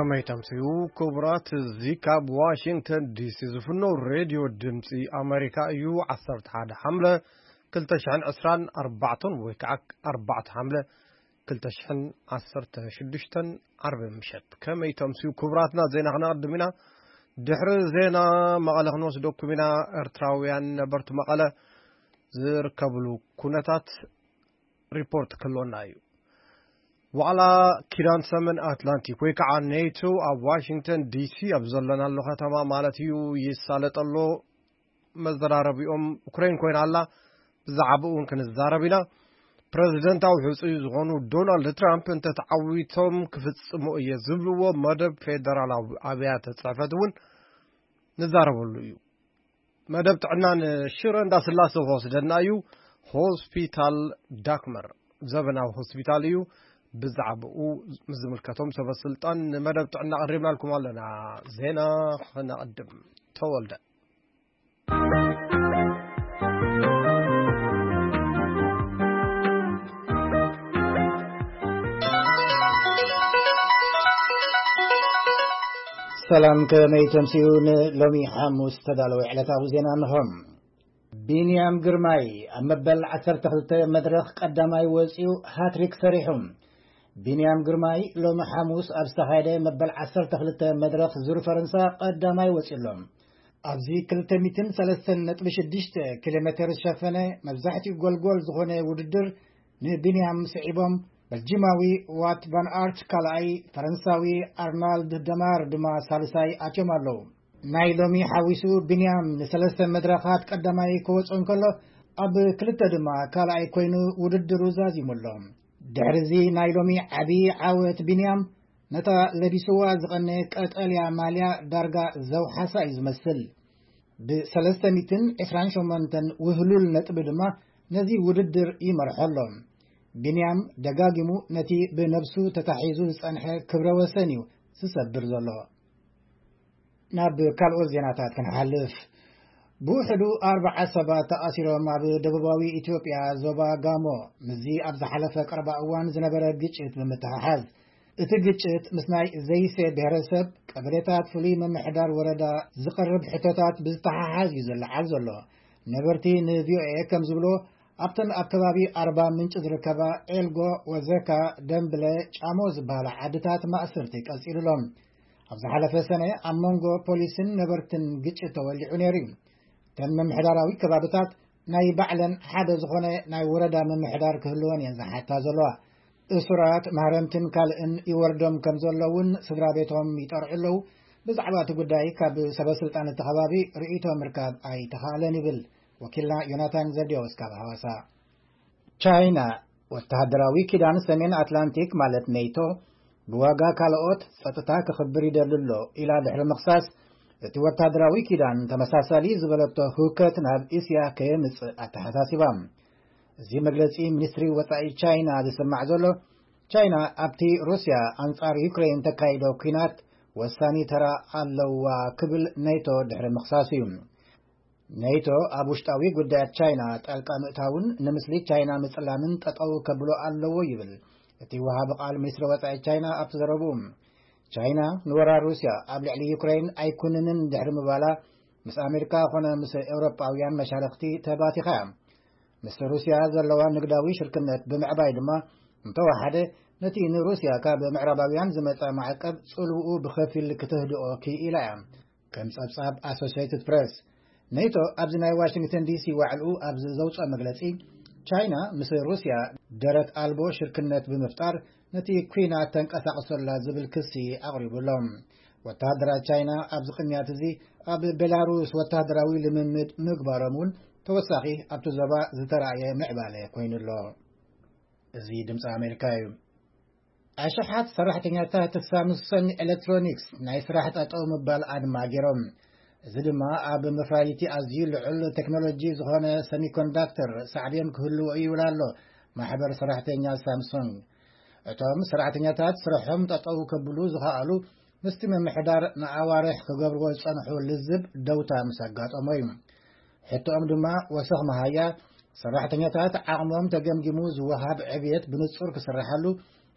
መይተምስዩ ክቡራት፣ እዚ ካብ ዋሽንግተን ዲሲ ዝፍኖ ሬድዮ ድምፂ ኣሜሪካ እዩ። ዓሰርተ ሓደ ሓምለ ክልተ ሽሕን ዕስራን ኣርባዕተን ወይ ከዓ ኣርባዕተ ሓምለ ክልተ ሽሕን ዓሰርተ ሽዱሽተን ዓርቢ ምሸት። ከመይ ተምስዩ ክቡራትና፣ ዜና ክነቕድም ኢና። ድሕሪ ዜና መቐለ ክንወስደኩም ኢና። ኤርትራውያን ነበርቲ መቐለ ዝርከብሉ ኩነታት ሪፖርት ክህልወና እዩ። ዋዕላ ኪዳን ሰሜን ኣትላንቲክ ወይ ከዓ ኔቶ ኣብ ዋሽንግተን ዲሲ ኣብ ዘለናሉ ከተማ ማለት እዩ ይሳለጠ ኣሎ። መዘራረቢኦም ዩክሬን ኮይና ኣላ። ብዛዕባኡ እውን ክንዛረብ ኢና። ፕረዚደንታዊ ሕፁይ ዝኾኑ ዶናልድ ትራምፕ እንተተዓዊቶም ክፍፅሞ እየ ዝብልዎ መደብ ፌደራላዊ ኣብያተ ፅሕፈት እውን ንዛረበሉ እዩ። መደብ ጥዕና ንሽረ እንዳስላሴ ክወስደና እዩ። ሆስፒታል ዳክመር ዘበናዊ ሆስፒታል እዩ። ብዛዕባኡ ምስ ዝምልከቶም ሰበ ስልጣን ንመደብ ጥዕና ኣቕሪብናልኩም ኣለና። ዜና ክነቕድም። ተወልደ። ሰላም፣ ከመይ ተምስዩ? ንሎሚ ሓሙስ ዝተዳለወ ዕለታዊ ዜና እንሆ። ቢንያም ግርማይ ኣብ መበል ዓሰርተ ክልተ መድረኽ ቀዳማይ ወጺኡ ሃትሪክ ሰሪሑ። ቢንያም ግርማይ ሎሚ ሓሙስ ኣብ ዝተኻየደ መበል ዓሰርተ ክልተ መድረኽ ዙር ፈረንሳ ቀዳማይ ወጺኡ ኣሎ። ኣብዚ ክልተ ሚእትን ሰለስተን ነጥቢ ሽዱሽተ ኪሎ ሜተር ዝሸፈነ መብዛሕትኡ ጎልጎል ዝኾነ ውድድር ንቢንያም ስዒቦም፣ በልጂማዊ ዋት ቫን ኣርት ካልኣይ፣ ፈረንሳዊ ኣርናልድ ደማር ድማ ሳልሳይ ኣትዮም ኣለዉ። ናይ ሎሚ ሓዊሱ ቢንያም ንሰለስተ መድረኻት ቀዳማይ ክወጽእ እንከሎ፣ ኣብ ክልተ ድማ ካልኣይ ኮይኑ ውድድሩ ዛዚሙ ኣሎ። ድሕሪዚ ናይ ሎሚ ዓቢ ዓወት ቢንያም፣ ነታ ለቢስዋ ዝቐነ ቀጠልያ ማልያ ዳርጋ ዘውሓሳ እዩ ዝመስል። ብሰለስተ ሚእትን ዕስራን ሸሞንተን ውህሉል ነጥቢ ድማ ነዚ ውድድር ይመርሖ ኣሎ። ቢንያም ደጋጊሙ ነቲ ብነብሱ ተታሒዙ ዝጸንሐ ክብረ ወሰን እዩ ዝሰብር ዘሎ። ናብ ካልኦት ዜናታት ክንሓልፍ። ብውሕዱ ኣርባዓ ሰባት ተኣሲሮም ኣብ ደቡባዊ ኢትዮጵያ ዞባ ጋሞ፣ ምስዚ ኣብ ዝሓለፈ ቀረባ እዋን ዝነበረ ግጭት ብምትሕሓዝ። እቲ ግጭት ምስ ናይ ዘይሴ ብሄረሰብ ቀበሌታት ፍሉይ ምምሕዳር ወረዳ ዝቐርብ ሕቶታት ብዝተሓሓዝ እዩ ዝለዓል ዘሎ። ነበርቲ ንቪኦኤ ከም ዝብሎ፣ ኣብተን ኣብ ከባቢ ኣርባ ምንጭ ዝርከባ ኤልጎ፣ ወዘካ፣ ደምብለ፣ ጫሞ ዝበሃላ ዓድታት ማእሰርቲ ቀጺሉሎም። ኣብ ዝሓለፈ ሰነ ኣብ መንጎ ፖሊስን ነበርትን ግጭት ተወሊዑ ነይሩ እዩ። እተን ምምሕዳራዊ ከባብታት ናይ ባዕለን ሓደ ዝኾነ ናይ ወረዳ ምምሕዳር ክህልወን እየን ዝሓታ ዘለዋ። እሱራት ማህረምትን ካልእን ይወርዶም ከም ዘሎ እውን ስድራ ቤቶም ይጠርዑ ኣለዉ። ብዛዕባ እቲ ጉዳይ ካብ ሰበ ስልጣን እቲ ከባቢ ርእይቶ ምርካብ ኣይተኻእለን ይብል ወኪልና ዮናታን ዘብዴዎስ ካብ ሃዋሳ። ቻይና ወተሃደራዊ ኪዳን ሰሜን ኣትላንቲክ ማለት ኔቶ ብዋጋ ካልኦት ጸጥታ ክኽብር ይደሊ ኣሎ ኢላ ድሕሪ ምኽሳስ፣ እቲ ወተሃደራዊ ኪዳን ተመሳሳሊ ዝበለቶ ህውከት ናብ እስያ ከየምጽእ ኣተሓሳሲባ። እዚ መግለጺ ሚኒስትሪ ወጻኢ ቻይና ዝስማዕ ዘሎ፣ ቻይና ኣብቲ ሩስያ ኣንጻር ዩክሬን ተካይዶ ኲናት ወሳኒ ተራ ኣለዋ ክብል ኔቶ ድሕሪ ምኽሳሱ እዩ። ኔቶ ኣብ ውሽጣዊ ጉዳያት ቻይና ጣልቃ ምእታውን ንምስሊ ቻይና ምጽላምን ጠጠው ከብሎ ኣለዎ ይብል እቲ ወሃቢ ቃል ሚኒስትሪ ወጻኢ ቻይና ኣብቲ ዘረብኡ። ቻይና ንወራር ሩስያ ኣብ ልዕሊ ዩክሬን ኣይኩንንን ድሕሪ ምባላ፣ ምስ ኣሜሪካ ኮነ ምስ ኤውሮጳውያን መሻርኽቲ ተባቲኻ እያ። ምስ ሩስያ ዘለዋ ንግዳዊ ሽርክነት ብምዕባይ ድማ፣ እንተወሓደ ነቲ ንሩስያ ካብ ምዕራባውያን ዝመጸ ማዕቀብ ጽልውኡ ብኸፊል ክትህድኦ ክኢላ እያ። ከም ጸብጻብ ኣሶሲየትድ ፕሬስ፣ ኔቶ ኣብዚ ናይ ዋሽንግተን ዲሲ ዋዕልኡ ኣብ ዘውጽኦ መግለጺ፣ ቻይና ምስ ሩስያ ደረት ኣልቦ ሽርክነት ብምፍጣር ነቲ ኲናት ተንቀሳቕሶ ኣላ ዝብል ክሲ ኣቕሪቡ ኣሎ። ወተሃደራት ቻይና ኣብዚ ቅንያት እዚ ኣብ ቤላሩስ ወተሃደራዊ ልምምድ ምግባሮም እውን ተወሳኺ ኣብቲ ዞባ ዝተራእየ ምዕባለ ኮይኑ ኣሎ። እዚ ድምፂ ኣሜሪካ እዩ። ኣሽሓት ሰራሕተኛታት ሳምሶንግ ኤሌክትሮኒክስ ናይ ስራሕ ጠጠው ምባል ኣድማ ገይሮም። እዚ ድማ ኣብ መፍራይቲ ኣዝዩ ልዑል ቴክኖሎጂ ዝኾነ ሰሚኮንዳክተር ሳዕቤን ክህልዎ እዩ ይብል ኣሎ ማሕበር ሰራሕተኛ ሳምሶንግ። እቶም ሰራሕተኛታት ስርሖም ጠጠው ከብሉ ዝኸኣሉ ምስቲ ምምሕዳር ንኣዋርሕ ክገብርዎ ዝጸንሑ ልዝብ ደውታ ምስ ኣጋጠሞ እዩ። ሕቶኦም ድማ ወሰኽ መሃያ፣ ሰራሕተኛታት ዓቕሞም ተገምጊሙ ዝወሃብ ዕብየት ብንጹር ክስርሓሉ፣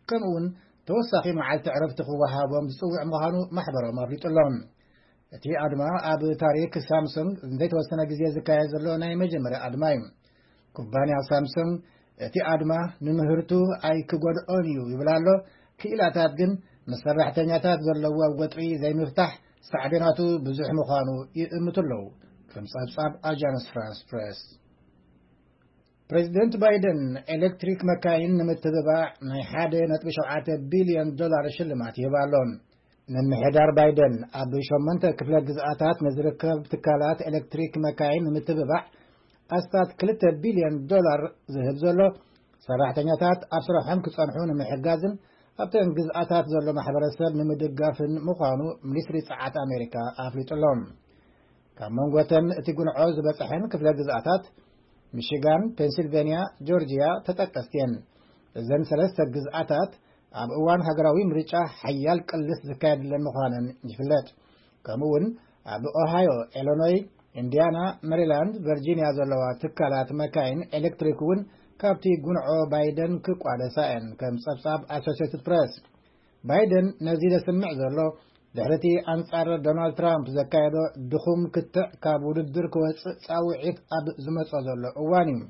ከምኡውን ተወሳኺ መዓልቲ ዕረፍቲ ክወሃቦም ዝጽውዕ ምዃኑ ማሕበሮም ኣፍሊጡ ኣሎ። እቲ ኣድማ ኣብ ታሪክ ሳምሰንግ ዘይተወሰነ ግዜ ዝካየድ ዘሎ ናይ መጀመርያ ኣድማ እዩ። ኩባንያ ሳምሰንግ እቲ ኣድማ ንምህርቱ ኣይክጎድኦን እዩ ይብል ኣሎ። ክኢላታት ግን ምስ ሰራሕተኛታት ዘለዎ ወጥሪ ዘይምፍታሕ ሳዕቤናቱ ብዙሕ ምዃኑ ይእምቱ ኣለዉ። ከም ጸብጻብ ኣጃንስ ፍራንስ ፕሬስ። ፕሬዚደንት ባይደን ኤሌክትሪክ መካይን ንምትብባዕ ናይ ሓደ ነጥቢ ሸውዓተ ቢልዮን ዶላር ሽልማት ይህብ ኣሎ። ምምሕዳር ባይደን ኣብ ሸሞንተ ክፍለ ግዝኣታት ንዝርከብ ትካላት ኤሌክትሪክ መካይን ንምትብባዕ ኣስታት ክልተ ቢልዮን ዶላር ዝህብ ዘሎ፣ ሰራሕተኛታት ኣብ ስራሖም ክጸንሑ ንምሕጋዝን ኣብተን ግዝኣታት ዘሎ ማሕበረሰብ ንምድጋፍን ምዃኑ ሚኒስትሪ ጸዓት ኣሜሪካ ኣፍሊጡ ኣሎ። ካብ መንጎተን እቲ ጉንዖ ዝበጽሐን ክፍለ ግዝኣታት ሚሽጋን፣ ፔንሲልቬንያ፣ ጆርጂያ ተጠቀስቲ እየን። እዘን ሰለስተ ግዝኣታት ኣብ እዋን ሃገራዊ ምርጫ ሓያል ቅልስ ዝካየድለን ምዃነን ይፍለጥ። ከምኡ እውን ኣብ ኦሃዮ፣ ኢሎኖይ፣ ኢንዲያና፣ ሜሪላንድ፣ ቨርጂኒያ ዘለዋ ትካላት መካይን ኤሌክትሪክ እውን ካብቲ ጉንዖ ባይደን ክቋደሳ እየን፣ ከም ጸብጻብ ኣሶሲየትድ ፕሬስ። ባይደን ነዚ ዘስምዕ ዘሎ ድሕሪ እቲ ኣንጻር ዶናልድ ትራምፕ ዘካየዶ ድኹም ክትዕ ካብ ውድድር ክወጽእ ጻውዒት ኣብ ዝመጾ ዘሎ እዋን እዩ።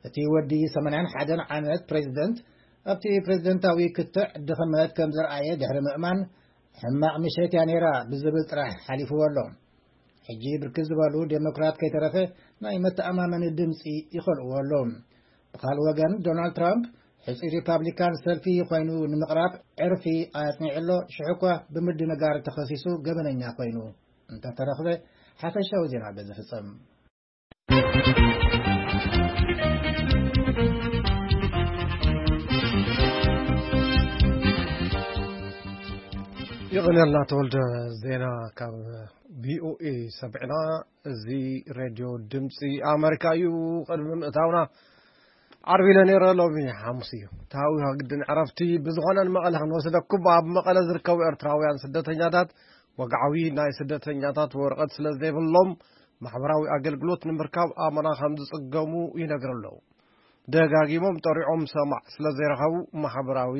እቲ ወዲ ሰማንያን ሓደን ዓመት ፕሬዚደንት ኣብቲ ፕሬዚደንታዊ ክትዕ ድኽመት ከም ዘርኣየ ድሕሪ ምእማን፣ ሕማቕ ምሸት እያ ነይራ ብዝብል ጥራሕ ሓሊፍዎ ኣሎ። ሕጂ ብርክት ዝበሉ ዴሞክራት ከይተረፈ ናይ መተኣማመኒ ድምፂ ይኸልእዎ ኣሎ። ብኻልእ ወገን ዶናልድ ትራምፕ ሕፁይ ሪፓብሊካን ሰልፊ ኮይኑ ንምቕራብ ዕርፊ ኣጽኒዑ ኣሎ። ሽዑ እኳ ብምድንጋር ተኸሲሱ ገበነኛ ኮይኑ እንተተረኽበ ሓፈሻዊ ዜና በዚ ፍጸም። ይቕንየልና ተወልደ፣ ዜና ካብ ቪኦኤ ሰሚዕና። እዚ ሬድዮ ድምፂ ኣመሪካ እዩ። ቅድሚ ምእታውና ዓርቢ ኢለ ነይረ፣ ሎሚ ሓሙስ እዩ። ታዊኻ ግድን ዕረፍቲ። ብዝኾነ ንመቐለ ክንወስደኩም። ኣብ መቐለ ዝርከቡ ኤርትራውያን ስደተኛታት ወግዓዊ ናይ ስደተኛታት ወረቐት ስለ ዘይብሎም ማሕበራዊ ኣገልግሎት ንምርካብ ኣመና ከም ዝጽገሙ ይነግሩ ኣለዉ። ደጋጊሞም ጠሪዖም ሰማዕ ስለ ዘይረኸቡ ማሕበራዊ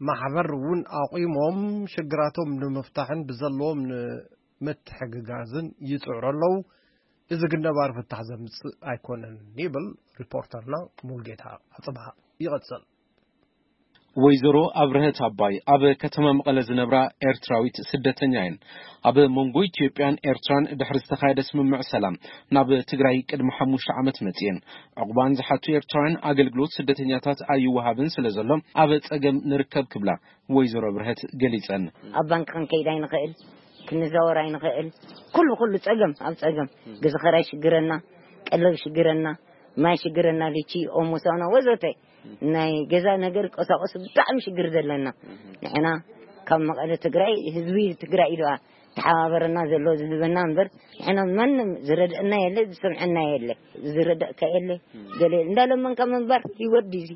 ማሕበር እውን ኣቑሞም ሽግራቶም ንምፍታሕን ብዘለዎም ንምትሕግጋዝን ይጽዕሩ ኣለዉ። እዚ ግን ነባሪ ፍታሕ ዘምጽእ ኣይኮነን ይብል ሪፖርተርና ሙልጌታ ኣጽብሃ። ይቐጽል። ወይዘሮ ኣብርሀት ኣባይ ኣብ ከተማ መቐለ ዝነብራ ኤርትራዊት ስደተኛ እየን። ኣብ መንጎ ኢትዮጵያን ኤርትራን ድሕሪ ዝተኻየደ ስምምዕ ሰላም ናብ ትግራይ ቅድሚ ሓሙሽተ ዓመት መጽየን። ዕቑባን ዝሓቱ ኤርትራውያን ኣገልግሎት ስደተኛታት ኣይወሃብን ስለ ዘሎ ኣብ ጸገም ንርከብ ክብላ ወይዘሮ ኣብርሀት ገሊጸን። ኣብ ባንክ ክንከይድ ኣይንኽእል፣ ክንዘወር ኣይንኽእል። ኩሉ፣ ኩሉ ጸገም ኣብ ጸገም። ገዛ ኸራይ ሽግረና፣ ቀለብ ሽግረና፣ ማይ ሽግረና፣ ልቺ፣ ኦሞ፣ ሳሙና ወዘተ። ናይ ገዛ ነገር ቀሳቀሱ ብጣዕሚ ሽግር ዘለና። ንሕና ካብ መቐለ ትግራይ፣ ህዝቢ ትግራይ ኢሉ ተሓባበረና ዘሎ ዝህበና እምበር፣ ንሕና ማንም ዝረድአና የለ፣ ዝሰምዐና የለ፣ ዝረዳእካ የለ። ገለ እንዳለመንካ ምንባር ህይወት ድዚ?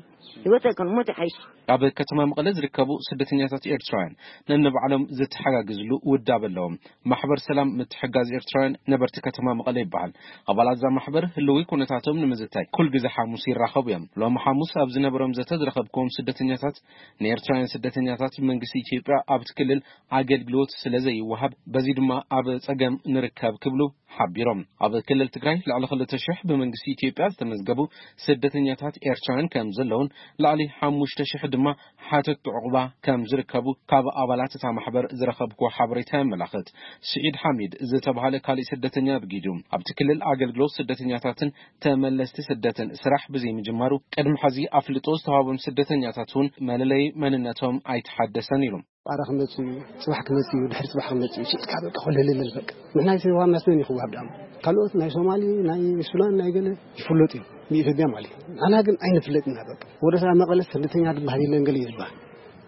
ህይወት ኣይኮን፣ ሞት ይሓይሽ። ኣብ ከተማ መቐለ ዝርከቡ ስደተኛታት ኤርትራውያን ነንባዕሎም ዝተሓጋግዝሉ ውዳበ ኣለዎም። ማሕበር ሰላም ምትሕጋዝ ኤርትራውያን ነበርቲ ከተማ መቐለ ይበሃል። ኣባላት እዛ ማሕበር ህልዊ ኩነታቶም ንምዝታይ ኩል ግዜ ሓሙስ ይራኸቡ እዮም። ሎም ሓሙስ ኣብ ዝነበሮም ዘተ ዝረኸብክዎም ስደተኛታት፣ ንኤርትራውያን ስደተኛታት ብመንግስቲ ኢትዮጵያ ኣብቲ ክልል ኣገልግሎት ስለ ዘይወሃብ፣ በዚ ድማ ኣብ ጸገም ንርከብ ክብሉ ሓቢሮም። ኣብ ክልል ትግራይ ልዕሊ ክልተ ሽሕ ብመንግስቲ ኢትዮጵያ ዝተመዝገቡ ስደተኛታት ኤርትራውያን ከም ዘለውን፣ ልዕሊ ሓሙሽተ ሽሕ ድማ ሓተት ዕቑባ ከም ዝርከቡ ካብ ኣባላት እታ ማሕበር ዝረኸብክዎ ሓበሬታ የመላኽት። ስዒድ ሓሚድ ዝተባህለ ካሊእ ስደተኛ ብጊዱ ኣብቲ ክልል ኣገልግሎት ስደተኛታትን ተመለስቲ ስደትን ስራሕ ብዘይምጅማሩ፣ ቅድሚ ሕዚ ኣፍልጦ ዝተዋህቦም ስደተኛታት እውን መለለይ መንነቶም ኣይተሓደሰን ኢሉ። ቃራ ክመጽእ እዩ፣ ጽባሕ ክመጽእ እዩ፣ ድሕሪ ጽባሕ ክመጽእ እዩ። ሽጥካ በቃ፣ ኮለል ልል በቃ። ንሕና ይሰዋ መስለን ይኽዋብ ዳም። ካልኦት ናይ ሶማሊ፣ ናይ ሱዳን፣ ናይ ገለ ይፍለጡ እዩ፣ ብኢትዮጵያ ማለት እዩ። ንሕና ግን ኣይንፍለጥና በቃ። ወደ ሰባ መቐለ ስደተኛ ዝበሃል የለን ገለ እዩ ዝበሃል።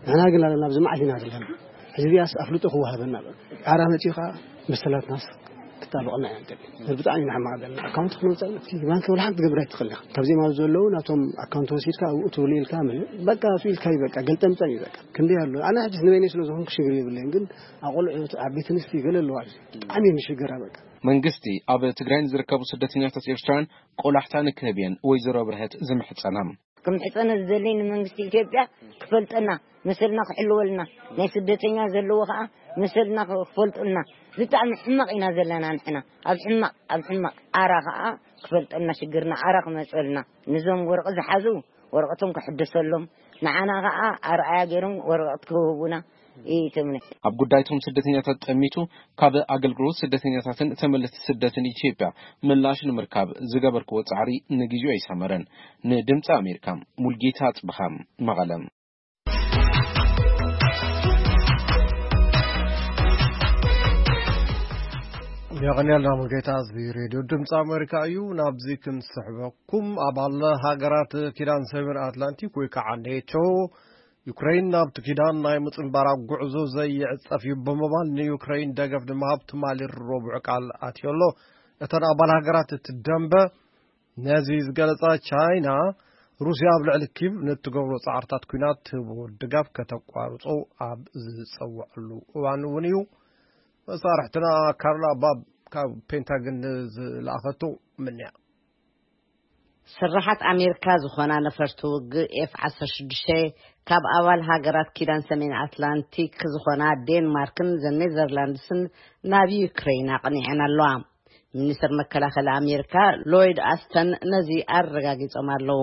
ንሕና ግን ኣለና፣ ኣብዚ መዓት ኢና ዘለና። ሕዚ ዚኣስ ኣፍልጦ ክወሃበና በቃ። ቃራ መጺኡ ኸዓ መሰላትናስ ክጣበቐና ኢና ንደሊ። ብጣዕሚ ኢና ሕማቕ ዘለና። ኣካውንት ክነውጽእ፣ ባንክ ወላ ሓንቲ ክትገብር ኣይትኽእልን ኢኻ። ካብዚኦም ኣብ ዘለዉ ናቶም ኣካውንት ወሲድካ ኣብኡ ትውልኢልካ ምልእ። በቃ፣ ስኢልካ እዩ በቃ፣ ገልጠምጠም እዩ በቃ። ክንደይ ኣሎ። ኣነ ሕጂስ ንበይነይ ስለ ዝኾንኩ ሽግር የብለይን፣ ግን ኣቆልዑት፣ ዓበይቲ ኣንስቲ ገለ ኣለዋ። ብጣዕሚ እየን ዝሽገራ በቃ። መንግስቲ ኣብ ትግራይ ንዝርከቡ ስደተኛታት ኤርትራውያን ቆላሕታ ንክህብ እየን ወይዘሮ ብርሀት ዝምሕጸና። ከም ሕጸነ ዝደለይ ንመንግስቲ ኢትዮጵያ ክፈልጠና፣ መሰልና ክሕልወልና፣ ናይ ስደተኛ ዘለዎ ከዓ መሰልና ክፈልጡልና። ብጣዕሚ ሕማቕ ኢና ዘለና ንሕና። ኣብ ሕማቕ፣ ኣብ ሕማቕ። ኣራ ከዓ ክፈልጠና ሽግርና፣ ኣራ ክመጸልና። ንዞም ወርቂ ዝሓዙ ወረቐቶም ክሕደሰሎም፣ ንዓና ከዓ ኣርኣያ ገይሮም ወረቐት ክህቡና ይትምነ። ኣብ ጉዳይቶም ስደተኛታት ጠሚቱ ካብ ኣገልግሎት ስደተኛታትን ተመለስቲ ስደትን ኢትዮጵያ ምላሽ ንምርካብ ዝገበርክዎ ጻዕሪ ንግዜኡ ኣይሰመረን። ንድምፂ ኣሜሪካ፣ ሙልጌታ ኣጽብሃ፣ መቐለ። የቐንየልና ሙልጌታ። እዚ ሬድዮ ድምፂ ኣሜሪካ እዩ። ናብዚ ክንስሕበኩም፣ ኣባል ሃገራት ኪዳን ሰሜን ኣትላንቲክ ወይ ከዓ ኔቶ፣ ዩክሬን ናብቲ ኪዳን ናይ ምጽንባራ ጉዕዞ ዘይዕጸፍ እዩ ብምባል ንዩክሬን ደገፍ ንምሃብ ትማሊ ረቡዕ ቃል ኣትዮ ኣሎ። እተን ኣባል ሃገራት እቲ ደንበ ነዚ ዝገለጻ ቻይና፣ ሩስያ ኣብ ልዕሊ ኪቭ ንእትገብሮ ጻዕርታት ኲናት ትህቦ ድጋፍ ከተቋርጾ ኣብ ዝጸውዐሉ እዋን እውን እዩ። መሳርሕትና ካርላ ባብ ካብ ፔንታግን ዝለኣኸቶ ምንያ። ስርሓት ኣሜሪካ ዝኾና ነፈርቲ ውግእ ኤፍ ዓሰርተ ሽዱሽተ ካብ ኣባል ሃገራት ኪዳን ሰሜን ኣትላንቲክ ዝኾና ዴንማርክን ዘ ኔዘርላንድስን ናብ ዩክሬን ኣቕኒዐን ኣለዋ። ሚኒስትር መከላኸሊ ኣሜሪካ ሎይድ ኣስተን ነዚ ኣረጋጊጾም ኣለዉ።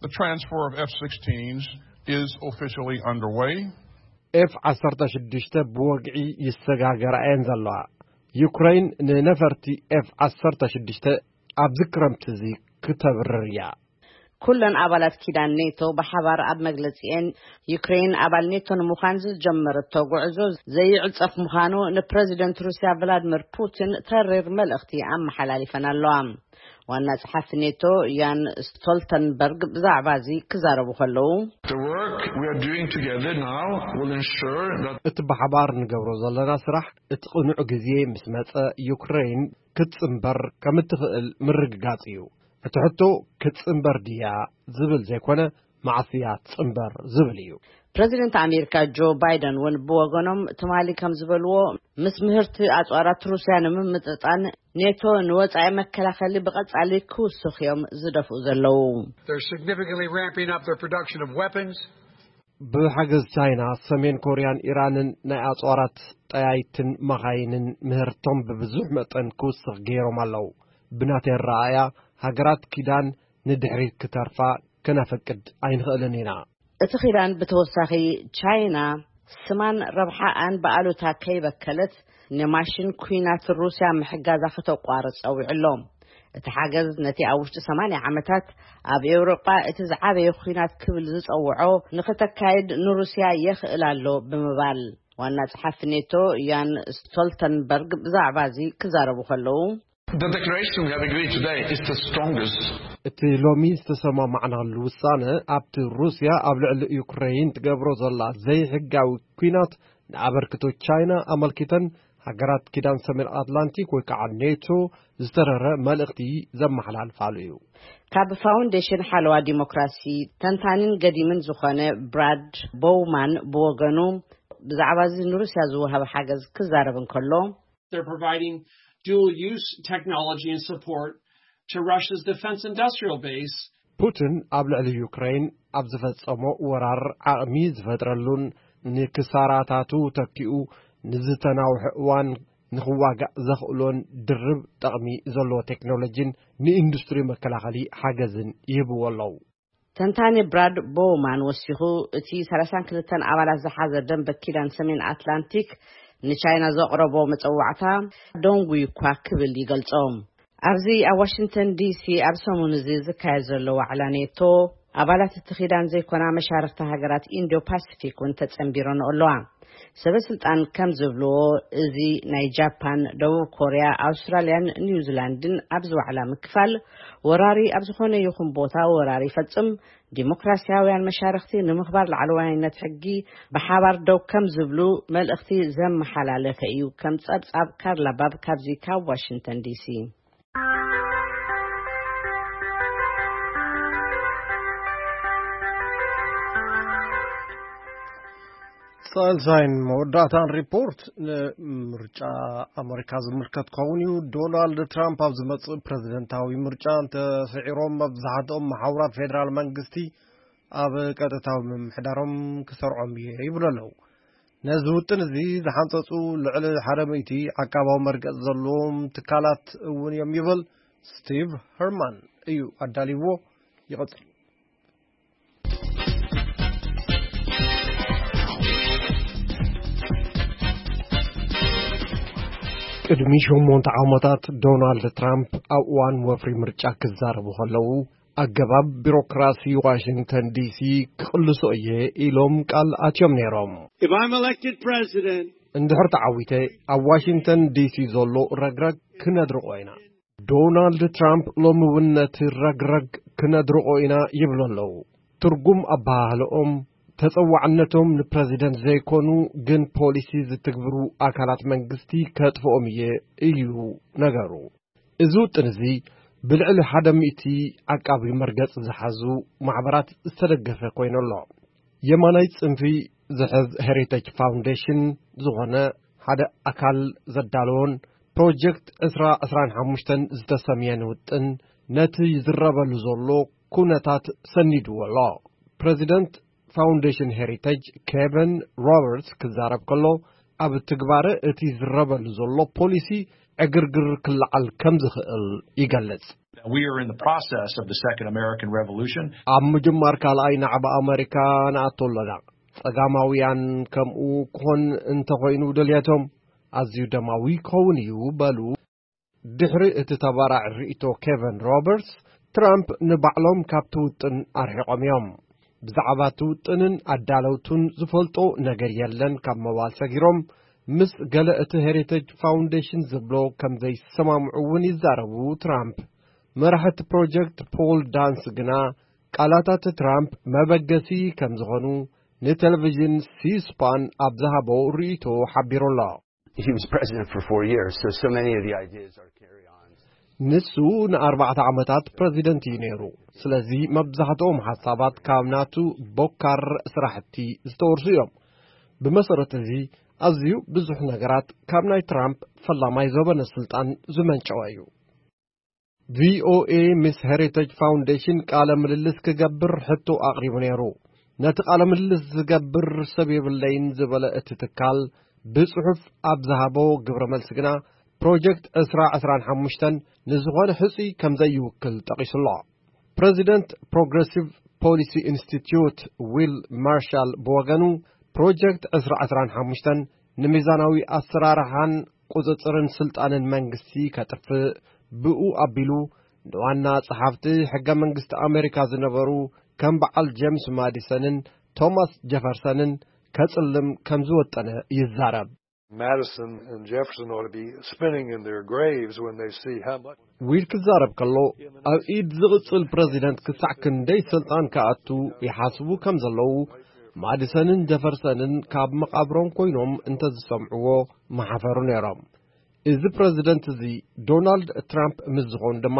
The transfer of F sixteens is officially underway. ኤፍ ዓሰርተ ሽዱሽተ ብወግዒ ይሰጋገራ እየን ዘለዋ። ዩክሬን ንነፈርቲ ኤፍ ዓሰርተ ሽዱሽተ ኣብዚ ክረምቲ እዚ ክተብርር እያ። ኩለን ኣባላት ኪዳን ኔቶ ብሓባር ኣብ መግለጺኤን፣ ዩክሬን ኣባል ኔቶ ንምዃን ዝጀመረቶ ጉዕዞ ዘይዕጸፍ ምዃኑ ንፕረዚደንት ሩስያ ቭላድሚር ፑቲን ተሪር መልእኽቲ ኣመሓላሊፈን ኣለዋ። ዋና ጸሓፊ ኔቶ ያን ስቶልተንበርግ ብዛዕባ እዚ ክዛረቡ ከለዉ፣ The work we are doing together now will ensure that እቲ ብሓባር ንገብሮ ዘለና ስራሕ እቲ ቅኑዕ ግዜ ምስ መጸ ዩክሬን ክትጽንበር ከም እትኽእል ምርግጋጽ እዩ። እቲ ሕቶ ክትጽንበር ድያ ዝብል ዘይኮነ፣ መዓስ እያ ትጽንበር ዝብል እዩ። ፕረዚደንት ኣሜሪካ ጆ ባይደን እውን ብወገኖም ትማሊ ከም ዝበልዎ፣ ምስ ምህርቲ ኣጽዋራት ሩስያ ንምምጥጣን ኔቶ ንወጻኢ መከላኸሊ ብቐጻሊ ክውስኽ እዮም ዝደፍኡ ዘለዉ። They're significantly ramping up their production of weapons. ብሓገዝ ቻይና፣ ሰሜን ኮርያን ኢራንን ናይ ኣጽዋራት ጠያይትን መኻይንን ምህርቶም ብብዙሕ መጠን ክውስኽ ገይሮም ኣለዉ። ብናተይ ኣረኣእያ፣ ሃገራት ኪዳን ንድሕሪት ክተርፋ ከነፍቅድ ኣይንኽእልን ኢና። እቲ ኪዳን ብተወሳኺ ቻይና ስማን ረብሓኣን ብኣሉታ ከይበከለት ንማሽን ኲናት ሩስያ ምሕጋዛ ከተቋርጽ ጸዊዑ ኣሎ። እቲ ሓገዝ ነቲ ኣብ ውሽጢ ሰማንያ ዓመታት ኣብ ኤውሮጳ እቲ ዝዓበየ ኲናት ክብል ዝጸውዖ ንኽተካይድ ንሩስያ የኽእል ኣሎ ብምባል ዋና ጸሓፊ ኔቶ ያን ስቶልተንበርግ ብዛዕባ እዚ ክዛረቡ ከለዉ፣ The declaration we have agreed today is the strongest. እቲ ሎሚ ዝተሰማማዕናሉ ውሳነ ኣብቲ ሩስያ ኣብ ልዕሊ ዩክሬን ትገብሮ ዘላ ዘይሕጋዊ ኲናት ንኣበርክቶ ቻይና ኣመልኪተን ሃገራት ኪዳን ሰሜን ኣትላንቲክ ወይ ከዓ ኔቶ ዝተረረ መልእኽቲ ዘመሓላልፋሉ እዩ። ካብ ፋውንዴሽን ሓለዋ ዲሞክራሲ ተንታኒን ገዲምን ዝኾነ ብራድ ቦውማን ብወገኑ ብዛዕባ እዚ ንሩስያ ዝወሃብ ሓገዝ ክዛረብ እንከሎ፣ They're providing dual use technology and support to Russia's defense industrial base. ፑቲን ኣብ ልዕሊ ዩክሬን ኣብ ዝፈጸሞ ወራር ዓቕሚ ዝፈጥረሉን ንክሳራታቱ ተኪኡ ንዝተናውሐ እዋን ንኽዋጋእ ዘኽእሎን ድርብ ጠቕሚ ዘለዎ ቴክኖሎጂን ንኢንዱስትሪ መከላኸሊ ሓገዝን ይህብዎ ኣለዉ። ተንታኒ ብራድ ቦውማን ወሲኹ፣ እቲ ሰላሳን ክልተን ኣባላት ዝሓዘ ደንበ ኪዳን ሰሜን ኣትላንቲክ ንቻይና ዘቕረቦ መጸዋዕታ ደንጉዩ እኳ ክብል ይገልጾ። ኣብዚ ኣብ ዋሽንግተን ዲሲ ኣብ ሰሙን እዚ ዝካየድ ዘሎ ዋዕላ ኔቶ፣ ኣባላት እቲ ኪዳን ዘይኮና መሻርኽቲ ሃገራት ኢንዶ ፓሲፊክ እውን ተጸንቢረንኦ ኣለዋ። ሰበ ስልጣን ከም ዝብልዎ፣ እዚ ናይ ጃፓን፣ ደቡብ ኮርያ፣ ኣውስትራልያን ኒውዚላንድን ኣብዚ ዋዕላ ምክፋል፣ ወራሪ ኣብ ዝኾነ ይኹን ቦታ ወራር ይፈጽም፣ ዲሞክራሲያውያን መሻርኽቲ ንምኽባር ላዕለዋይነት ሕጊ ብሓባር ደው ከም ዝብሉ መልእኽቲ ዘመሓላለፈ እዩ። ከም ጸብጻብ ካርላ ባብ ካብዚ ካብ ዋሽንግተን ዲሲ። ሳልሳይን መወዳእታን ሪፖርት ንምርጫ ኣመሪካ ዝምልከት ክኸውን እዩ። ዶናልድ ትራምፕ ኣብ ዝመጽእ ፕረዚደንታዊ ምርጫ እንተስዒሮም፣ መብዛሕትኦም መሓውራት ፌደራል መንግስቲ ኣብ ቀጥታዊ ምምሕዳሮም ክሰርዖም እየ ይብሉ ኣለዉ። ነዚ ውጥን እዚ ዝሓንጸጹ ልዕሊ ሓደ ሚእቲ ዓቃባዊ መርገጽ ዘለዎም ትካላት እውን እዮም ይብል። ስቲቭ ሄርማን እዩ ኣዳልይዎ። ይቐጽል። ቅድሚ ሸሞንተ ዓመታት ዶናልድ ትራምፕ ኣብ እዋን ወፍሪ ምርጫ ክዛረቡ ከለዉ፣ ኣገባብ ቢሮክራሲ ዋሽንግተን ዲሲ ክቕልሶ እየ ኢሎም ቃል ኣትዮም ነይሮም። If I'm elected president, እንድሕር ተዓዊተ፣ ኣብ ዋሽንግተን ዲሲ ዘሎ ረግረግ ክነድርቆ ኢና። ዶናልድ ትራምፕ ሎሚ እውን ነቲ ረግረግ ክነድርቆ ኢና ይብሉ ኣለዉ። ትርጉም ኣበሃህልኦም፣ ተጸዋዕነቶም ንፕረዚደንት ዘይኮኑ ግን ፖሊሲ ዝትግብሩ ኣካላት መንግስቲ ከጥፍኦም እየ እዩ ነገሩ። እዚ ውጥን እዚ ብልዕሊ ሓደ ሚእቲ ዓቃቢ መርገጽ ዝሓዙ ማሕበራት ዝተደገፈ ኮይኑ ኣሎ። የማናይ ጽንፊ ዝሕዝ ሄሪቴጅ ፋውንዴሽን ዝኾነ ሓደ ኣካል ዘዳለዎን ፕሮጀክት ዕስራ ዕስራን ሓሙሽተን ዝተሰምየን ውጥን ነቲ ይዝረበሉ ዘሎ ኩነታት ሰኒድዎ ኣሎ። ፕረዚደንት ፋውንዴሽን ሄሪቴጅ ኬቨን ሮበርትስ ክዛረብ ከሎ፣ ኣብ ትግባረ እቲ ዝረበሉ ዘሎ ፖሊሲ ዕግርግር ክለዓል ከም ዝኽእል ይገልጽ። We are in the process of the Second American Revolution. ኣብ ምጅማር ካልኣይ ናዕቢ ኣመሪካ ንኣቶ ኣለና። ጸጋማውያን ከምኡ ክኾን እንተኾይኑ ድልየቶም ኣዝዩ ደማዊ ክኸውን እዩ በሉ። ድሕሪ እቲ ተባራዕ ርእይቶ ኬቨን ሮበርትስ፣ ትራምፕ ንባዕሎም ካብቲ ውጥን ኣርሒቖም እዮም። ብዛዕባ እቲ ውጥንን ኣዳለውቱን ዝፈልጦ ነገር የለን ካብ ምባል ሰጊሮም፣ ምስ ገለ እቲ ሄሪቴጅ ፋውንዴሽን ዝብሎ ከም ዘይሰማምዑ እውን ይዛረቡ ትራምፕ። መራሒ እቲ ፕሮጀክት ፖል ዳንስ ግና፣ ቃላታት ትራምፕ መበገሲ ከም ዝኾኑ ንቴሌቪዥን ሲስፓን ኣብ ዝሃቦ ርእይቶ ሓቢሩ ኣሎ። He was president for four years, so, so many of the ideas are carry-ons. ንሱ ንኣርባዕተ ዓመታት ፕረዚደንት እዩ ነይሩ። ስለዚ መብዛሕትኦም ሓሳባት ካብ ናቱ ቦካር ስራሕቲ ዝተወርሱ እዮም። ብመሰረት እዚ፣ ኣዝዩ ብዙሕ ነገራት ካብ ናይ ትራምፕ ፈላማይ ዘበነ ስልጣን ዝመንጨወ እዩ። ቪኦኤ ምስ ሄሪቴጅ ፋውንዴሽን ቃለ ምልልስ ክገብር ሕቶ ኣቕሪቡ ነይሩ። ነቲ ቃለ ምልልስ ዝገብር ሰብ የብለይን ዝበለ እቲ ትካል፣ ብጽሑፍ ኣብ ዝሃቦ ግብረ መልሲ ግና፣ ፕሮጀክት ዕስራ ዕስራን ሓሙሽተን ንዝኾነ ሕጹይ ከም ዘይውክል ጠቒሱ ኣሎ። ፕረዚደንት ፕሮግረሲቭ ፖሊሲ ኢንስቲትዩት ዊል ማርሻል ብወገኑ፣ ፕሮጀክት ዕስራ ዕስራን ሓሙሽተን ንሚዛናዊ ኣሰራርሓን ቁጽጽርን ስልጣንን መንግስቲ ከጥፍእ፣ ብኡ ኣቢሉ ንዋና ጸሓፍቲ ሕገ መንግስቲ ኣሜሪካ ዝነበሩ ከም በዓል ጄምስ ማዲሰንን ቶማስ ጀፈርሰንን ከጽልም ከም ዝወጠነ ይዛረብ። Madison and Jefferson ought to be spinning in their graves when they see how much. ዊል ክዛረብ ከሎ፣ ኣብ ኢድ ዝቕጽል ፕረዚደንት ክሳዕ ክንደይ ስልጣን ክኣቱ ይሓስቡ ከም ዘለዉ፣ ማዲሰንን ጀፈርሰንን ካብ መቓብሮም ኮይኖም እንተዝሰምዕዎ ምሓፈሩ ነይሮም። እዚ ፕረዚደንት እዚ ዶናልድ ትራምፕ ምስ ዝኾኑ ድማ፣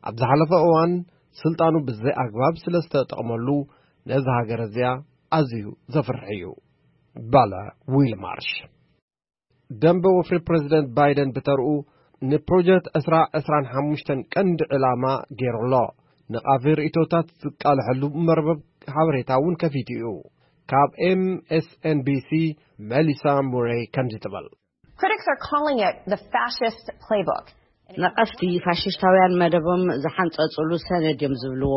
ኣብ ዝሓለፈ እዋን ስልጣኑ ብዘይ ኣግባብ ስለ ዝተጠቕመሉ፣ ነዛ ሃገር እዚኣ ኣዝዩ ዘፍርሕ እዩ፣ በለ ዊል ማርሽ። ደንበ ወፍሪ ፕረዚደንት ባይደን ብተርኡ፣ ንፕሮጀክት ዕስራ ዕስራን ሓሙሽተን ቀንዲ ዕላማ ገይሩ ኣሎ። ንቓፊ ርእይቶታት ዝቃልሐሉ መርበብ ሓበሬታ እውን ከፊቱ እዩ። ካብ ኤም ኤስ ኤን ቢ ሲ መሊሳ ሙሬይ ከምዚ ትብል። Critics are calling it the fascist playbook. ነቐፍቲ ፋሽስታውያን መደቦም ዝሓንጸጹሉ ሰነድ እዮም ዝብልዎ።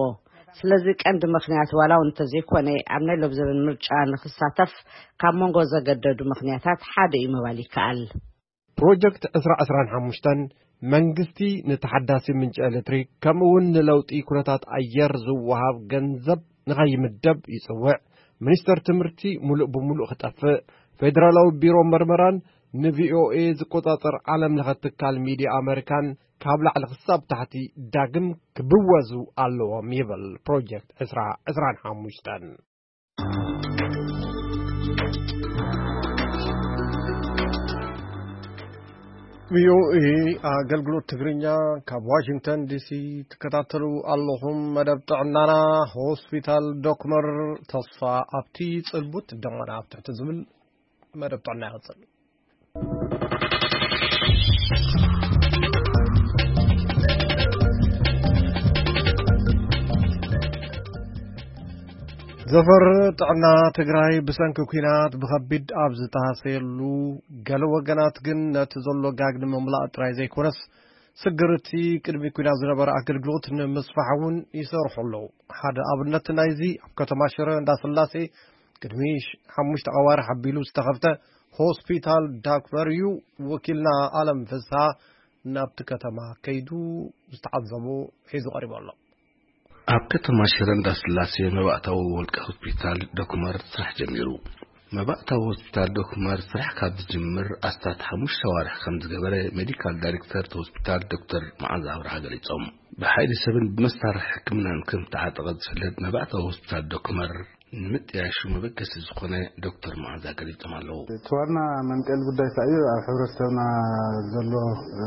ስለዚ ቀንዲ ምኽንያት ዋላ እውን እንተዘይኮነ፣ ኣብ ናይ ሎብዘበን ምርጫ ንኽሳተፍ ካብ መንጎ ዘገደዱ ምኽንያታት ሓደ እዩ ምባል ይከኣል። ፕሮጀክት ዕስራ ዕስራን ሓሙሽተን መንግስቲ ንተሓዳሲ ምንጪ ኤሌክትሪክ ከምኡ እውን ንለውጢ ኩነታት ኣየር ዝወሃብ ገንዘብ ንኸይምደብ ይጽውዕ። ሚኒስተር ትምህርቲ ሙሉእ ብሙሉእ ክጠፍእ፣ ፌደራላዊ ቢሮ መርመራን ንቪኦኤ ዝቆጻጸር ዓለም ለኸ ትካል ሚድያ ኣመሪካን ካብ ላዕሊ ክሳብ ታሕቲ ዳግም ክብወዙ ኣለዎም ይብል ፕሮጀክት ዕስራ ዕስራን ሓሙሽተን። ቪኦኤ ኣገልግሎት ትግርኛ ካብ ዋሽንግተን ዲሲ ትከታተሉ ኣለኹም። መደብ ጥዕናና፣ ሆስፒታል ዶክመር ተስፋ ኣብቲ ጽልቡት ደሞና ኣብ ትሕቲ ዝብል መደብ ጥዕና ይቕጽል። ዘፈር ጥዕና ትግራይ ብሰንኪ ኲናት ብኸቢድ ኣብ ዝተሃሰየሉ፣ ገለ ወገናት ግን ነቲ ዘሎ ጋግ ንምምላእ ጥራይ ዘይኮነስ፣ ስግርቲ ቅድሚ ኲናት ዝነበረ ኣገልግሎት ንምስፋሕ እውን ይሰርሑ ኣለዉ። ሓደ ኣብነት ናይዚ፣ ኣብ ከተማ ሽረ እንዳስላሴ ቅድሚ ሽ-፣ ሓሙሽተ ኣዋርሕ ኣቢሉ ዝተኸፍተ ሆስፒታል ዳክመር እዩ። ወኪልና ኣለም ፍስሃ ናብቲ ከተማ ከይዱ ዝተዓዘቦ ሒዙ ቀሪቡ ኣሎ። ኣብ ከተማ ሽረ እንዳስላሴ መባእታዊ ውልቀ ሆስፒታል ዶክመር ስራሕ ጀሚሩ። መባእታዊ ሆስፒታል ዶክመር ስራሕ ካብ ዝጅምር ኣስታት ሓሙሽተ ኣዋርሕ ከም ዝገበረ ሜዲካል ዳይሬክተር ሆስፒታል ዶክተር መዓዛ ኣብርሃ ገሊጾም። ብሓይሊ ሰብን ብመሳርሒ ሕክምናን ከም ዝተዓጠቐ ዝፍለጥ መባእታዊ ሆስፒታል ዶክመር ንምጥያሹ መበገሲ ዝኾነ ዶክተር መዓዛ ገሊጾም ኣለዉ። እቲ ዋና መንቀሊ ጉዳይ እንታይ እዩ? ኣብ ሕብረተሰብና ዘሎ፣ እ፣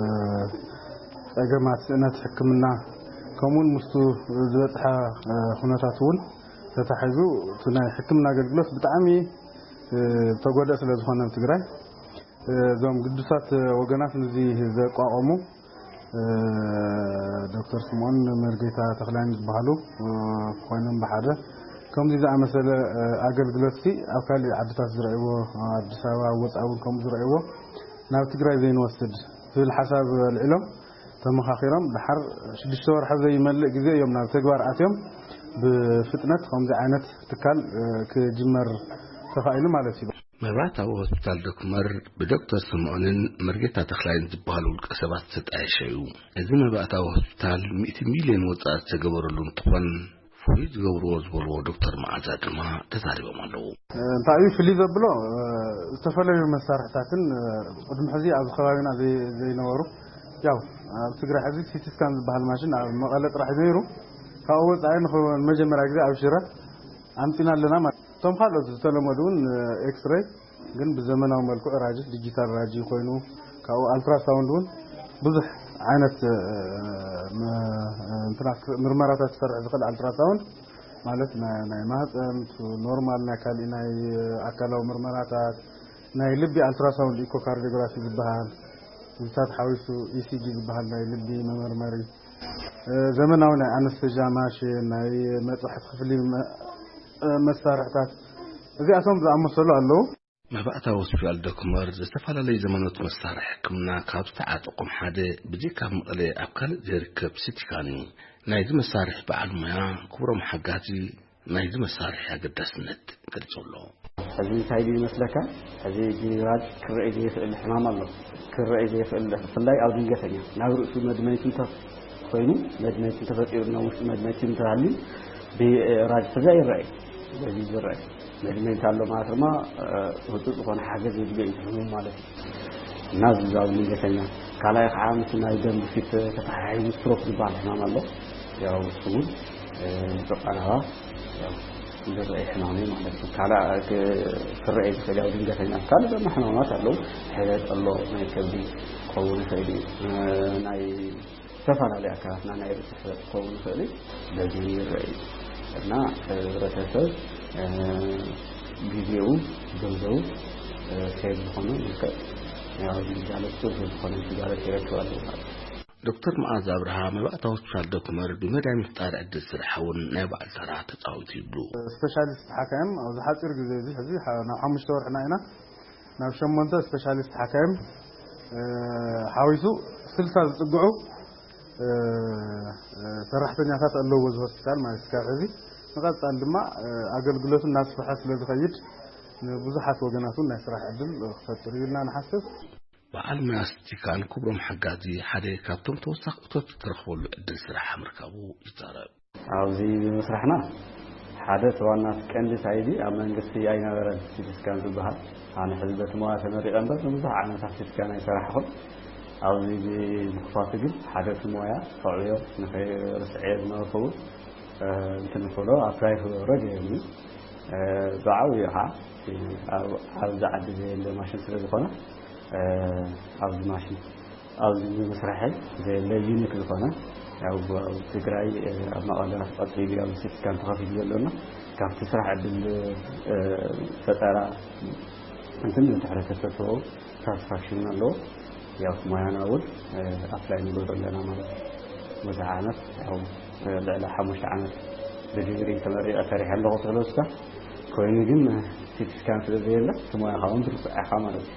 ጸገማት ስእነት ሕክምና፣ ከምኡውን ምስቱ ዝበጽሐ፣ እ፣ ኩነታት እውን ተታሒዙ፣ እቲ ናይ ሕክምና ኣገልግሎት ብጣዕሚ፣ እ፣ ተጎድአ ስለ ዝኾነ ኣብ ትግራይ፣ እ፣ እዞም ግዱሳት ወገናት ነዚ ዘቋቖሙ፣ እ፣ ዶክተር ስምኦን መርጌታ ተኽላይን ዝበሃሉ፣ እ፣ ኮይኖም ብሓደ ከምዚ ዝኣመሰለ፣ እ፣ ኣገልግሎትሲ ኣብ ካሊእ ዓድታት ዝረእይዎ፣ ኣብ ኣዲስ ኣበባ፣ ኣብ ወፃኢ እውን ከምኡ ዝረእይዎ ናብ ትግራይ ዘይንወስድ ዝብል ሓሳብ ኣልዒሎም ተመኻኺሮም፣ ድሓር ሽዱሽተ ወርሒ ዘይመልእ ግዜ እዮም ናብ ተግባር ኣትዮም ብፍጥነት ከምዚ ዓይነት ትካል፣ እ፣ ክጅመር ተኻኢሉ ማለት እዩ። መብራህታዊ ሆስፒታል ዶክመር ብዶክተር ስምዖንን መርጌታ ተኽላይን ዝበሃሉ ውልቀ ሰባት ዝተጣየሸ እዩ። እዚ መባእታዊ ሆስፒታል ሚእቲ ሚልዮን ወጻኢ ዝተገበረሉ እንትኾን፣ ፍሉይ ዝገብርዎ ዝበልዎ ዶክተር መዓዛ ድማ ተዛሪቦም ኣለዉ። እንታይ እዩ ፍልይ ዘብሎ? ዝተፈላለዩ መሳርሕታትን ቅድሚ ሕዚ ኣብዚ ከባቢና ዘይ-፣ ዘይነበሩ፣ ያው ኣብ ትግራይ ሕዚ ሲቲ ስካን ዝበሃል ማሽን ኣብ መቐለ ጥራሕ ነይሩ። ካብኡ ወጻኢ ንኸ-፣ ንመጀመርያ ግዜ ኣብ ሽረ ኣምጺና ኣለና ማለት። እቶም ካልኦት ዝተለመዱ እውን ኤክስሬይ ግን ብዘመናዊ መልክዑ ራጂ፣ ዲጂታል ራጂ ኮይኑ፣ ካብኡ ኣልትራሳውንድ እውን ብዙሕ ዓይነት፣ እ፣ ም-፣ እ፣ እንትናት ምርመራታት ክሰርሕ ዝኽእል ኣልትራሳውንድ ማለት ናይ፣ ናይ ማህፀን፣ ኖርማል ናይ ካሊእ ናይ ኣካላዊ ምርመራታት፣ ናይ ልቢ ኣልትራሳውንድ ኢኮካርዲዮግራፊ ዝበሃል፣ ምስታት ሓዊሱ ኢሲጂ ዝበሃል ናይ ልቢ መመርመሪ፣ እ፣ ዘመናዊ ናይ ኣነስቴዥያ ማሽን፣ ናይ መጥባሕቲ ክፍሊ መ-፣ እ፣ መሳርሕታት፣ እዚኣቶም ዝኣመሰሉ ኣለዉ። መባእታዊ ሆስፒታል ዶክመር ዝተፈላለዩ ዘመናት መሳርሒ ሕክምና ካብ ዝተዓጠቖም ሓደ፣ ብዘይካ ኣብ መቐለ ኣብ ካልእ ዘይርከብ ሲቲ ስካን እዩ። ናይዚ መሳርሒ በዓል ሞያ ክብሮም ሓጋዚ ናይዚ መሳርሒ ኣገዳስነት ገሊጹ ኣሎ። ሕዚ እንታይ ድዩ ይመስለካ? ሕዚ ብራጅ ክረኣይ ዘይኽእል ሕማም ኣሎ። ክረኣይ ዘይኽእል፣ ብፍላይ ኣብ ድንገተኛ ናብ ርእሱ መድመይቲ እንተ-፣ ኮይኑ፣ መድመይቲ እንተፈጢሩ፣ ናብ ውሽጢ መድመይቲ እንተሃልዩ፣ ብራጅ ሕዚ ኣይረኣይ። በዚ ዝረኣይ መድመይቲ ኣሎ ማለት ድማ፣ እ፣ ህጹጽ ዝኾነ ሓገዝ የድልዮ እዩ ሕሙም ማለት እዩ። እና እዚ ኣብ ድንገተኛ። ካልኣይ ከዓ ምስ ናይ ደም ግፊት ተተሓሒዙ ስትሮክ ዝበሃል ሕማም ኣሎ። ያው እሱ እውን፣ እ፣ ብቐረባ፣ ያው፣ ዝረኣይ ሕማም እዩ ማለት እዩ። ካልእ ክ-፣ ክረኣይ ዝኽእል ያው ድንገተኛ። ካልእ ድማ ሕማማት ኣለዉ። ሕበጥ ኣሎ፣ ናይ ከብዲ ክኸውን ይኽእል እዩ። እ፣ ናይ ዝተፈላለዩ ኣካላትና ናይ ርእሲ ሕበጥ ክኸውን ይኽእል እዩ። በዚ ይረኣይ እዩ። እና፣ እ፣ ህብረተሰብ፣ እ፣ ግዜኡ፣ ገንዘቡ፣ እ፣ ሴፍ ዝኾነ መልክዕ፣ ያው፣ ግልጋሎት ጽቡቕ ዝኾነ ግልጋሎት ይረክብ ኣለዎ ማለት እዩ። ዶክተር መዓዝ ኣብርሃ መባእታ ሆስፒታል ዶክመር ብመዳይ ምፍጣር ዕድል ስራሕ እውን ናይ ባዕሉ ተራ ተጻዊቱ ይብሉ። ስፔሻሊስት ሓካይም ኣብዚ ሓፂር ግዜ እዚ ሕዚ ሓ-፣ ናብ ሓሙሽተ ወርሕና ኢና። ናብ ሸሞንተ ስፔሻሊስት ሓካይም፣ እ፣ ሓዊሱ ስልሳ ዝጽግዑ፣ እ፣ እ፣ ሰራሕተኛታት ኣለውዎ እዚ ሆስፒታል ማለት እዩ። ካብ ሕዚ ንቐጻሊ ድማ፣ እ፣ ኣገልግሎቱ እናስፍሐ ስለ ዝኸይድ ንብዙሓት ወገናት እውን ናይ ስራሕ ዕድል ክፈጥር እዩ ኢልና ንሓስብ። በዓል ሞያ ሲቲ ስካን ክብሮም ሓጋዚ ሓደ ካብቶም ተወሳኺ እቶት እተረኽበሉ ዕድል ስራሕ ምርካቡ ይዛረብ። ኣብዚ ብምስራሕና ሓደ እቲ ዋና እቲ ቀንዲ ሳይዚ ኣብ መንግስቲ ኣይነበረን ሲቲ ስካን ዝበሃል። ኣነ ሕዚ በቲ ሞያ ተመሪቐ እምበር ንብዙሕ ዓመታት ሲቲ ስካን ኣይሰራሕኹን። ኣብዚ ብምኽፋቱ ግን ሓደ እቲ ሞያ ከዕብዮ ንኸይርስዐዮ ዝነበርኩ እውን፣ እ፣ እንትን ክብሎ ኣፕላይ ክገብሮ ገይሩኒ። እ፣ ብዓብዩ ከዓ ኣብ፣ ኣብዚ ዓዲ ዘየለ ማሽን ስለ ዝኾነ፣ እ፣ ኣብዚ ማሽን ኣብዚ ምስራሐይ ዘየለ ዩኒክ ዝኾነ፣ ያው ኣብ ትግራይ፣ እ፣ ኣብ መቐለ ቀፂሉ ያው ሲቲ ስካን ተኸፊቱ ዘሎና ካብቲ ስራሕ ዕድል፣ እ፣ ፈጠራ እንትን ንድሕሪ ተሰጥኦ ሳትስፋክሽን ኣለዎ። ያው ሞያና እውን ኣፕላይ ንገብሮ ኣለና ማለት እዩ። ብዙሕ ዓመት ያው ልዕሊ ሓሙሽተ ዓመት ብዲግሪ ተመሪቐ ሰሪሐ ኣለኹ። ስለስካ ኮይኑ ግን ሲቲ ስካን ስለ ዘየለ እቲ ሞያኻ እውን ትርስዖ ኢኻ ማለት እዩ።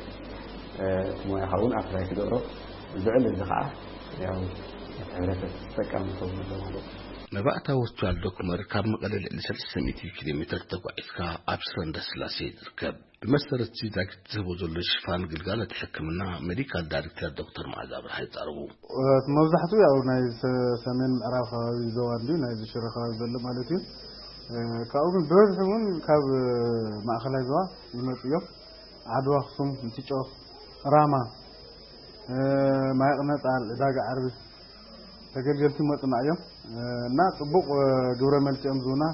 እቲ ሞያኻ እውን ኣፕላይ ትገብሮ። ልዕሊ እዚ ከዓ ያው እቲ ሕብረተሰብ ተጠቃሚ ክኸውን ኣለዎ ማለት እዩ። መባእታዊ ሆስፒታል ዶክመር ካብ መቐለ ልዕሊ ሰለስተ ሚእቲ ኪሎ ሜትር ተጓዒዝካ ኣብ ሽረ እንዳስላሴ ትርከብ። ብመሰረት ዛጊት ዝህቦ ዘሎ ሽፋን ግልጋሎት ሕክምና ሜዲካል ዳይሬክተር ዶክተር መዓዛ ብርሃ ይጻረቡ። መብዛሕትኡ ያው ናይ ሰሜን ምዕራብ ከባቢ ዞባ እንዲ ናይ ሽረ ከባቢ ዘሎ ማለት እዩ። ካብኡ ግን ብበዝሒ እውን ካብ ማእኸላይ ዞባ ይመፁ እዮም። ዓድዋ፣ ኣክሱም፣ ምትጮ፣ ራማ፣ ማይቕነጣል፣ ዕዳጋ ዓርቢ ተገልገልቲ ይመፁና እዮም። እና ፅቡቕ ግብረ መልሲ እዮም ዝህቡና።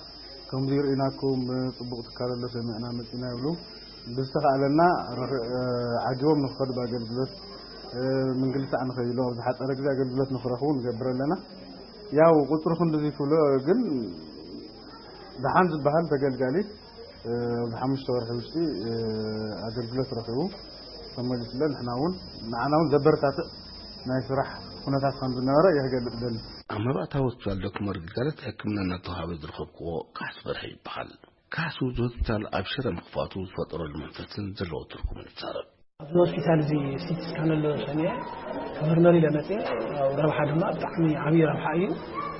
ከምዚ ርኢናኩም፣ ፅቡቕ ትካል ኣሎ ሰሚዕና መፂና ይብሉ። ብዝተኻእለና ዓጊቦም ንክኸዱ ብኣገልግሎት ምንግልታዕ ንኸይሉ ኣብ ዝሓፀረ ግዜ ኣገልግሎት ንክረኽቡ ንገብር ኣለና። ያው ቁፅሪ ክንድዚ ክብሎ ግን ደሓን ዝበሃል ተገልጋሊ ኣብዚ ሓሙሽተ ወርሒ ውሽጢ ኣገልግሎት ረኺቡ ተመሊሱለ። ንሕና እውን ንዓና እውን ዘበረታትዕ ናይ ስራሕ ኩነታት ከም ዝነበረ እየ ክገልፅ ደሊ። ኣብ መባእታዊ ሆስፒታል ዶክመር ግልጋሎት ሕክምና እናተዋሃበ ዝረኸብክዎ ካሕሱ በርሀ ይበሃል። ካሕሱ እዚ ሆስፒታል ኣብ ሽረ ምኽፋቱ ዝፈጠረሉ መንፈስን ዘለዎ ትርጉምን ይዛረብ። ኣብዚ ሆስፒታል እዚ ሲቲ ስካን ኣሎ ሰሚዐ ክምርመር ኢለ መፅየ። ያው ረብሓ ድማ ብጣዕሚ ዓብዪ ረብሓ እዩ።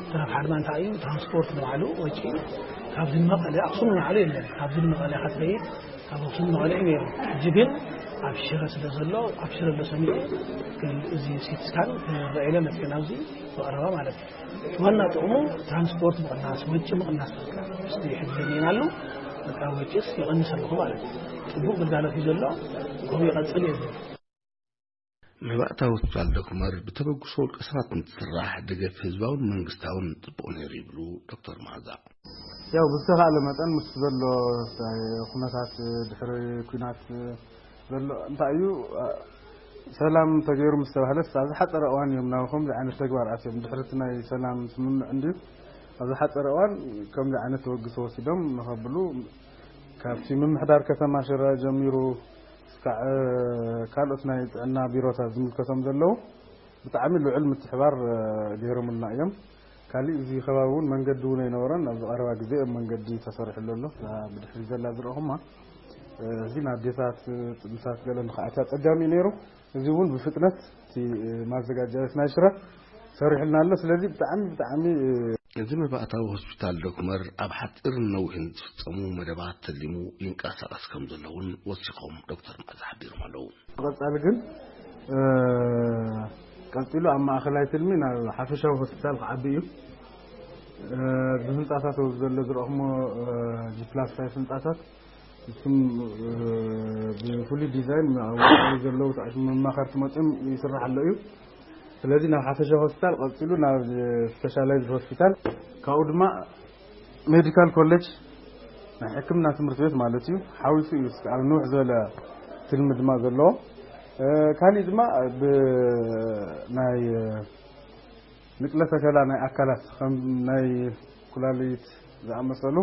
እቲ ረብሓ ድማ እንታይ እዩ? ትራንስፖርት ንባዕሉ ወጪ ካብዚ ንመቐለ፣ ኣክሱም ንባዕሉ የለን፣ ካብዚ ንመቐለ ከትኸይድ ካብ ኣክሱም ንመቐለ እዩ ነይሩ። ሕጂ ግን ኣብ ሽረ ስለ ዘሎ ኣብ ሽረ ኣሎ ሰሚዐ እዚ ሲቲ ስካን ክምረዕ ኢለ መፅየ ናብዚ ብቐረባ ማለት እዩ። ዋና ጥቕሙ ትራንስፖርት ምቕናስ፣ ወጪ ምቕናስ በቃ። እስቲ ሕጂ ዘሚእናሉ በቃ ወጪስ ይቐንስ ኣለኹ ማለት እዩ። ፅቡቕ ግልጋሎት እዩ ዘሎ፣ ከምኡ ይቐፅል እየ ዝብል። መባእታዊ ሆስፒታል ዶክመር ብተበግሶ ውልቀ ሰባት እንትስራሕ ደገፍ ህዝባውን መንግስታውን ፅቡቕ ነይሩ ይብሉ ዶክተር መዓዛ። ያው ብዝተኻእለ መጠን ምስ ዘሎ ኩነታት ድሕሪ ኩናት ዘሎ እንታይ እዩ ሰላም ተገይሩ ምስ ተባህለስ ኣብ ዝሓፀረ እዋን እዮም ናብ ከምዚ ዓይነት ተግባር ኣትዮም። ድሕሪ እቲ ናይ ሰላም ስምምዕ እንድዩ ኣብ ዝሓፀረ እዋን ከምዚ ዓይነት ተበግሶ ወሲዶም ንኸብሉ ካብቲ ምምሕዳር ከተማ ሽረ ጀሚሩ እስካዕ ካልኦት ናይ ጥዕና ቢሮታት ዝምልከቶም ዘለዉ ብጣዕሚ ልዑል ምትሕባር ገይሮምልና እዮም። ካሊእ እዚ ከባቢ እውን መንገዲ እውን ኣይነበረን። ኣብዚ ቀረባ ግዜ እዮም መንገዲ ተሰሪሕሉ ኣሎ። እዛ ብድሕሪ ዘላ ዝረእኹማ እዚ ንኣዴታት ጥንሳት ገለ ንክኣትያ ኣፀጋሚ እዩ ነይሩ። እዚ እውን ብፍጥነት እቲ ማዘጋጃየት ናይ ሽረ ሰሪሕልና ኣሎ። ስለዚ ብጣዕሚ ብጣዕሚ እዚ መባእታዊ ሆስፒታል ዶክመር ኣብ ሓፂርን ነዊሕን ዝፍፀሙ መደባት ተሊሙ ይንቀሳቐስ ከም ዘለውን ወሲኾም ዶክተር መዓዛ ሓቢሮም ኣለዉ። ብቐፃሊ ግን ቀፂሉ ኣብ ማእኸላይ ትልሚ ናብ ሓፈሻዊ ሆስፒታል ክዓቢ እዩ። ብህንፃታት ኣብዚ ዘሎ ዝረእኹሞ ጂ ፕላስ ፋይቭ ህንፃታት እሱም ብፍሉይ ዲዛይን ኣብ ወፃኢ ዘለዉ ተኣሽሙ መማኸርቲ መፅኦም ይስራሕ ኣሎ እዩ። ስለዚ ናብ ሓፈሻዊ ሆስፒታል ቀፂሉ ናብ ስፔሻላይዝድ ሆስፒታል ካብኡ ድማ ሜዲካል ኮሌጅ ናይ ሕክምና ትምህርቲ ቤት ማለት እዩ ሓዊሱ እዩ እስካብ ንውሕ ዝበለ ትልሚ ድማ ዘለዎ። ካሊእ ድማ ብናይ ንቅለ ተከላ ናይ ኣካላት ከም ናይ ኩላሊት ዝኣመሰሉ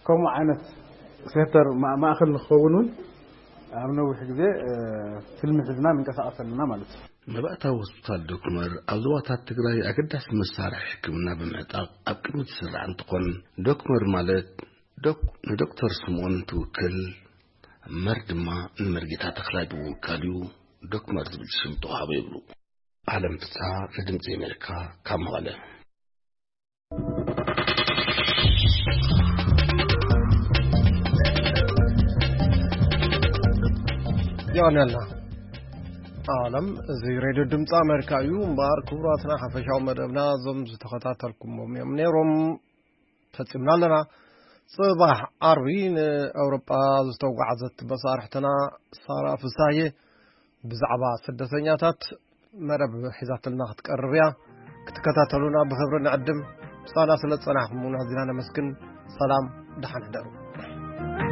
ከምኡ ዓይነት ሴንተር ማእከል ንክኸውን እውን ኣብ ነዊሕ ግዜ ትልሚ ሒዝና ንንቀሳቀስ ኣለና ማለት እዩ። መባእታዊ ሆስፒታል ዶክመር ኣብ ዞባታት ትግራይ ኣገዳሲ መሳርሒ ሕክምና ብምዕጣቕ ኣብ ቅድሚ ዝስራዕ እንትኾን ዶክመር ማለት ዶክ ንዶክተር ስምኦን ትውክል፣ መር ድማ ንመርጌታ ተኽላይ ብምውካል እዩ ዶክመር ዝብል ሽም ተዋህቦ ይብሉ። ዓለም ፍስሃ ንድምፂ ኣሜሪካ ካብ መቐለ። የቐንየልና። ዓለም እዚ ሬድዮ ድምፂ ኣሜሪካ እዩ። እምበኣር ክቡራትና ሓፈሻዊ መደብና እዞም ዝተኸታተልኩሞም እዮም ነይሮም። ፈፂምና ኣለና። ፅባሕ ዓርቢ ንኣውሮጳ ዝተጓዓዘት መሳርሕትና ሳራ ፍሳየ ብዛዕባ ስደተኛታት መደብ ሒዛትልና ክትቀርብ እያ። ክትከታተሉና ብኽብሪ ንዕድም። ምሳና ስለ ዝፀናሕኩም እውን ኣዚና ነመስግን። ሰላም፣ ደሓን ሕደሩ።